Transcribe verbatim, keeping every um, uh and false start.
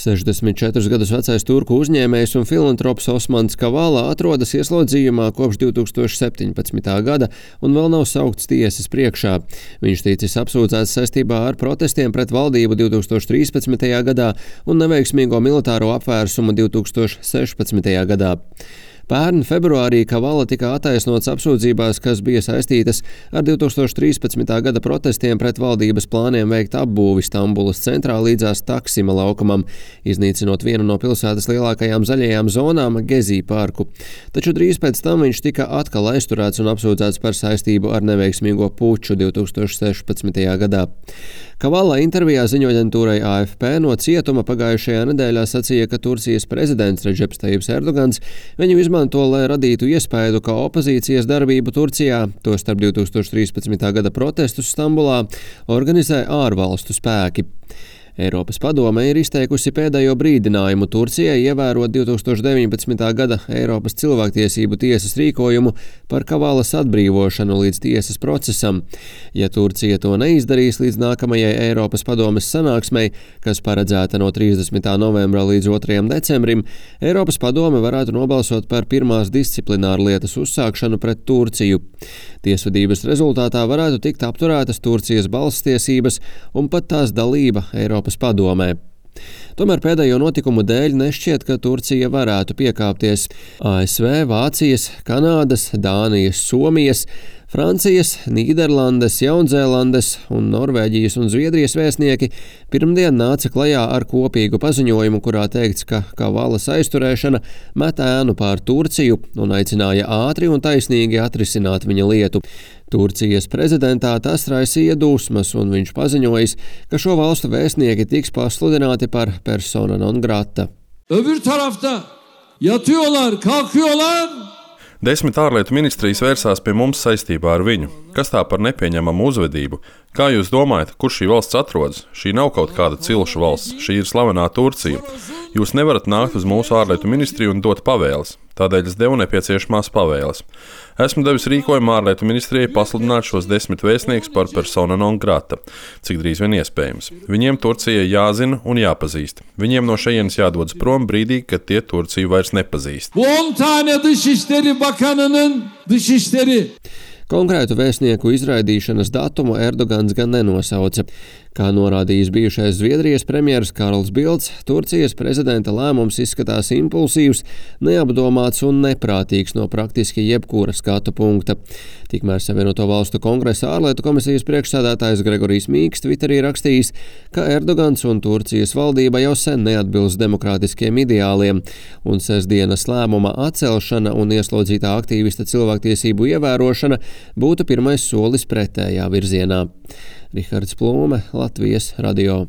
sešdesmit četrus gadus vecais turku uzņēmējs un filantrops Osmans Kavala atrodas ieslodzījumā kopš divi tūkstoši septiņpadsmitā gada un vēl nav saukts tiesas priekšā. Viņš ticis apsūdzēts saistībā ar protestiem pret valdību divi tūkstoši trīspadsmitajā gadā un neveiksmīgo militāro apvērsumu divi tūkstoši sešpadsmitajā gadā. Pērn februārī Kavala tika attaisnots apsūdzībās, kas bija saistītas ar divi tūkstoši trīspadsmitā gada protestiem pret valdības plāniem veikt apbūvi Stambulas centrā līdzās Taksima laukumam, iznīcinot vienu no pilsētas lielākajām zaļajām zonām Gezī parku. Taču drīz pēc tam viņš tika atkal aizturēts un apsūdzēts par saistību ar neveiksmīgo puču divi tūkstoši sešpadsmitajā gadā. Kavala intervijā ziņoaģentūrai A F P no cietuma pagājušajā nedēļā sacīja, ka Turcijas prezidents Redžeps Tajibs Erdogans viņu izmanto, lai radītu iespaidu, ka opozīcijas darbību Turcijā, tostarp divi tūkstoši trīspadsmitā gada protestus Stambulā, organizē ārvalstu spēki. Eiropas padome ir izteikusi pēdējo brīdinājumu Turcijai ievērot divi tūkstoši deviņpadsmitā gada Eiropas cilvēktiesību tiesas rīkojumu par Kavalas atbrīvošanu līdz tiesas procesam. Ja Turcija to neizdarīs līdz nākamajai Eiropas padomes sanāksmei, kas paredzēta no trīsdesmitā novembra līdz otrajam decembrim, Eiropas padome varētu nobalsot par pirmās disciplināru lietas uzsākšanu pret Turciju. Tiesvedības rezultātā varētu tikt apturētas Turcijas balsstiesības un pat tās dalība Eiropas padomē. Tomēr pēdējo notikumu dēļ nešķiet, ka Turcija varētu piekāpties. A S V, Vācijas, Kanādas, Dānijas, Somijas, Francijas, Nīderlandes, Jaunzēlandes un Norvēģijas un Zviedrijas vēstnieki pirmdien nāca klajā ar kopīgu paziņojumu, kurā teikts, ka Kavalas aizturēšana met ēnu pār Turciju un aicināja ātri un taisnīgi atrisināt viņa lietu. Turcijas prezidentā tas raisīja dusmas, un viņš paziņojis, ka šo valstu vēstnieki tiks pasludināti par persona non grata. Öbür tarafta yatıyorlar, kalkıyorlar. Desmit ārlietu ministrijas vērsās pie mums saistībā ar viņu. Kas tā par nepieņemamu uzvedību? Kā jūs domājat, kur šī valsts atrodas? Šī nav kaut kāda cilšu valsts, šī ir slavenā Turcija. Jūs nevarat nākt uz mūsu ārlietu ministriju un dot pavēles. Tādēļ es devu nepieciešamās pavēles. Esmu devis rīkojumu ārlietu ministrijai pasludināt šos desmit vēstniekus par persona non grata, cik drīz vien iespējams. Viņiem Turcijai jāzina un jāpazīst. Viņiem no šejienes jādodas prom brīdī, kad tie Turciju vairs nepazīst. on tane Dışişleri Bakanı'nın dışişleri. Konkrētu vēstnieku izraidīšanas datumu Erdogans gan nenosauca. Kā norādījis bijušais Zviedrijas premjeras Karls Bildts, Turcijas prezidenta lēmums izskatās impulsīvs, neapdomāts un neprātīgs no praktiski jebkura skatu punkta. Tikmēr Savienoto valstu kongresa ārlietu komisijas priekšsēdētājs Gregorijs Mīks Twitterī rakstījis, ka Erdogans un Turcijas valdība jau sen neatbilst demokrātiskiem ideāliem, un sestdienas lēmuma atcelšana un ieslodzītā aktīvista cilvēktiesību ievērošana būtu pirmais solis pretējā virzienā. Rihards Plūme, Latvijas radio.